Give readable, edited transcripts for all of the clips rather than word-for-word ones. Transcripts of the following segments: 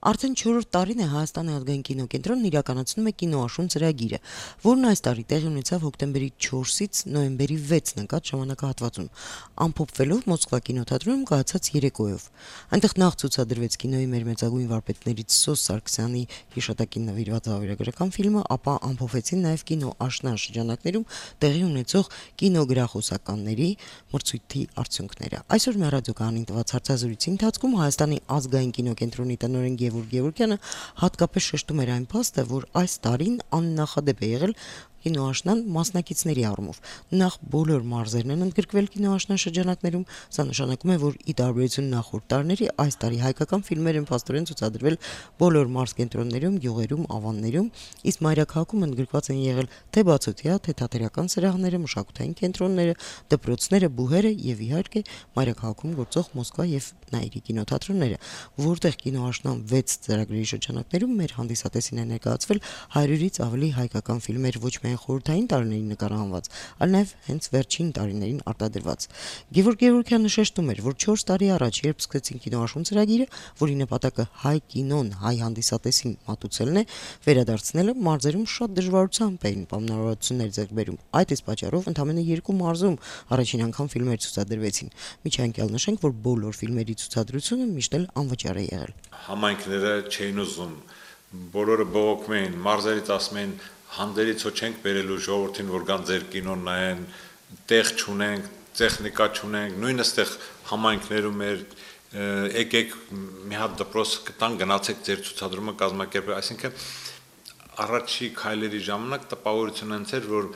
Արդեն 4-րդ տարին է Հայաստանի ազգային կինոկենտրոնն իրականացնում է կինոաշուն ծրագիրը, որն այս տարի տեղի ունեցավ հոկտեմբերի 4-ից նոյեմբերի 6-ն ընկած ժամանակահատվածում, ամփոփվելով Մոսկվա կինոթատրոնում կայացած երեկոյով։ Այնտեղ նախ ցուցադրվեց կինոյի մեր մեծագույն վարպետներից Սոս Սարգսյանի հիշատակին նվիրված վավերագրական ֆիլմը, ապա ամփոփվեցին նաև կինոաշնան շրջանակներում տեղի ունեցող կինոգրախոսականների մրցույթի արդյունքները։ Այսօր Մեղրադյոկյանին տված հարցազրույցի ընթացքում Հայաստանի ազգային կինոկենտրոնի տնօրեն Գևորգ Գևորգյանը հատկապես շեշտում էր այն փաստը, որ այս տարին աննախադեպ է եղել կինոաշնան մասնակիցների առումով։ Նախ բոլոր մարզերն են ընդգրկվել կինոաշնան շրջանակներում, սա նշանակում է, որ ի տարբերություն նախորդ տարիների այս տարի հայկական ֆիլմեր են փաստորեն ցուցադրվել բոլոր մարզկենտրոններում, գյուղերում, ավաններում, իսկ մայրաքաղաքում ընդգրկված են եղել թե բացօթյա, թե թատերական սրահները, մշակութային կենտրոնները, դպրոցները, բուհերը եւ իհարկե մայրաքաղաքում գործող Մոսկվա եւ Նաիրի կինոթատրոնները, որտեղ կինոաշնան 6 ծրագրերի շրջանակներում մեր հանդիսատեսին է ներկայացվել 100-ից ավելի հայկական ֆիլմեր ոչ միայն խորհրդային տարիներին նկարահանված, այլ նաև հենց վերջին տարիներին արտադրված։ Գևորգ Գևորգյանը շեշտում էր, որ 4 տարի առաջ, երբ սկսեցին կինոաշուն ծրագիրը, որի նպատակը հայ կինոն, հայ հանդիսատեսին մատուցելն է, վերադարձնելը մարզերում շատ դժվարությամբ էին պայմանավորվածություններ ձեռք բերում։ Այդ իսկ պատճառով ընդամենը 2 մարզում առաջին անգամ ֆիլմեր ցուցադրվեցին։ Միջանկյալ նշենք, որ բոլոր ֆիլմերի ցուցադրությունը միշտ էլ անվճար է եղել։ Համայնքները չէին ուզում, բոլորը բողոքում էին, մարզերից ասում էին հանդերից հո չենք բերելու ժողովրդին, որ գան ձեր կինոն նայեն, տեղ չունենք, տեխնիկա չունենք, նույնիսկ այդտեղ համայնքներում էր եկեք մի հատ դպրոց կտան, գնացեք ձեր ցուցադրումը կազմակերպել, այսինքն առաջի քայլերի ժամանակ տպավորություն հենց էր, որ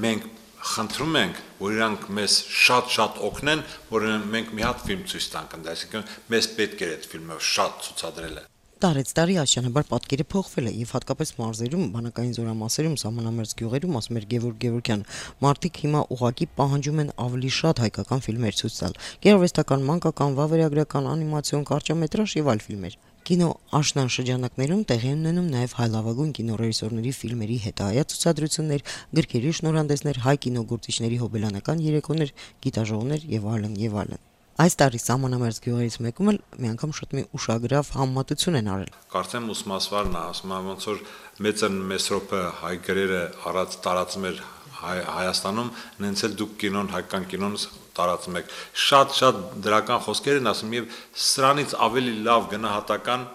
մենք խնդրում ենք, որ իրանք մեզ շատ օգնեն, որ մենք մի հատ ֆիլմ ցույց տանք, այսինքն մեզ պետք էր այդ ֆիլմը շատ ցուցադրելը։ Տարեց տարի աստիճանաբար պատկերը փոխվել է եւ հատկապես մարզերում, բանակային զորամասերում, սահմանամերձ գյուղերում, ասում էր Գևորգ Գևորգյանը, մարդիկ հիմա ուղղակի պահանջում են ավելի շատ հայկական ֆիլմեր ցույց տալ, գեղարվեստական, մանկական, վավերագրական, անիմացիոն, կարճամետրաժ եւ այլ ֆիլմեր։ Կինո աշնան շրջանակներում տեղի են ունենում նաև հայ լավագույն կինոռեժիսորների ֆիլմերի հետայա ցուցադրություններ, գրքերի շնորհանդեսներ, հայ կինոգործիչների հոբելյանական երեկոներ, գիտաժողովներ եւ այլն եւ այլն։ Այս տարի սահմանամերձ գյուղերից մեկում էլ մի անգամ շատ մի ուշագրավ համեմատություն են արել։ Կարծեմ ուսմասվարն է, ասում եմ ոնց որ մեծն Մեսրոպը հայ գրերը առած տարածում էր Հայաստանում, նենց էլ դուք կինոն, հայկական կինոն տարածում եք։ Շատ դրական խոսքեր են ասում եւ սրանից ավելի լավ գնահատական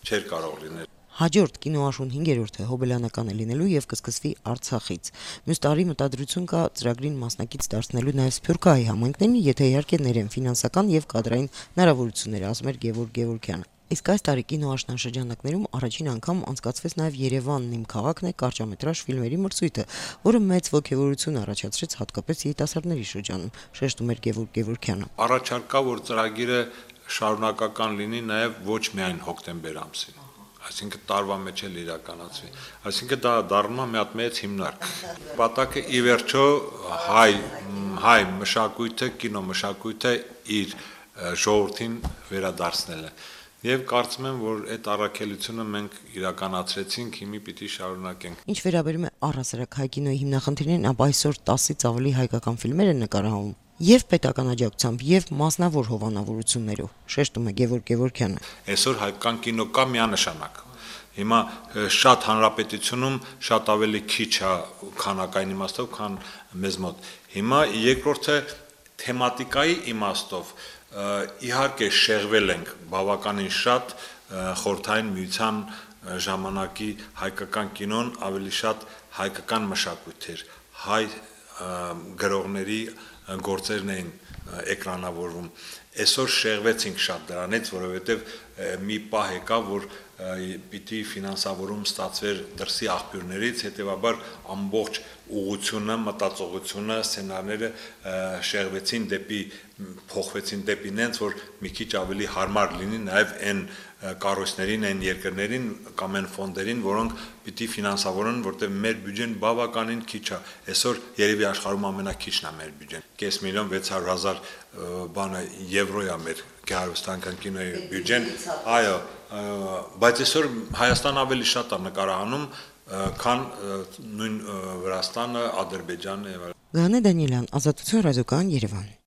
չէր կարող լինել։ Հաջորդ կինոաշուն 5-րդը հոբելյանական է լինելու եւ կսկսվի Արցախից։ Մյուս տարի մտադրություն կա ծրագրին մասնակից դարձնելու նաեւ Սփյուռքահայ համայնքներին, եթե իհարկե ներեն ֆինանսական եւ կադրային հնարավորություններ, ասում էր Գևորգ Գևորգյանը։ Իսկ այս տարի կինոաշնան շրջանակներում առաջին անգամ անցկացվեց նաև Երևանն իմ քաղաքն է կարճամետրաժ ֆիլմերի մրցույթը, որը մեծ ոգևորություն առաջացրեց հատկապես երիտասարդների շրջանում, շեշտում էր Գևորգ Գևորգյանը։ Առաջարկա, որ ծրագիրը շարունակական լինի նաև ոչ միայն հոկտեմբեր ամսին, այսինքն տարվա մեջ էլ իրականացվի, այսինքն դա դառնում է մի հատ մեծ հիմնարկ։ Պատակը ի վերջո հայ մշակույթը, կինոմշակույթը իր ժողովրդին վերադարձնելը։ Եվ կարծում եմ, որ այդ առաքելությունը մենք իրականացրեցինք, հիմի պիտի շարունակենք։ Ինչ վերաբերում է առհասարակ հայ կինոյի հիմնախնդիրներին, ապա այսօր 10-ից ավելի հայկական ֆիլմեր են նկարահանվում եւ պետական աջակցությամբ եւ մասնավոր հովանավորություններով, շեշտում է Գևորգ Գևորգյանը։ Այսօր հայկական կինո կա միանշանակ։ Հիմա շատ հանրապետությունում շատ ավելի քիչ է քանակային իմաստով, քան մեզ մոտ։ Հիմա երկրորդը թեմատիկայի իմաստով իհարկե շեղվել ենք բավականին շատ խորհրդային միության ժամանակի հայկական կինոն ավելի շատ հայկական մշակույթ էր, հայ գրողների գործերն էին էկրանավորվում։ Այսօր շեղվեցինք շատ դրանից, որովհետև մի պահ եկավ, որ պիտի ֆինանսավորում ստացվեր դրսի աղբյուրներից, հետևաբար ամբողջ ուղղությունը, մտածողությունը, սցենարները շեղվեցին փոխվեցին դեպի նենց, որ մի քիչ ավելի հարմար լինի նաև այն կառույցներին, այն երկրներին կամ այն ֆոնդերին, որոնք պիտի ֆինանսավորեն, որտեղ մեր բյուջեն բավականին քիչ է։ Այսօր երևի աշխարհում ամենակիչն է մեր բյուջեն։ 5.600.000 եվրո է մեր գեղարվեստական կինոյի բյուջեն, այո, բայց այսօր Հայաստան ավելի շատ է նկարահանում, քան նույն Վրաստանը, Ադրբեջանը եւ այլն։ Գանե Դանիելյան, Ազատություն ռադիոկայան, Երևան։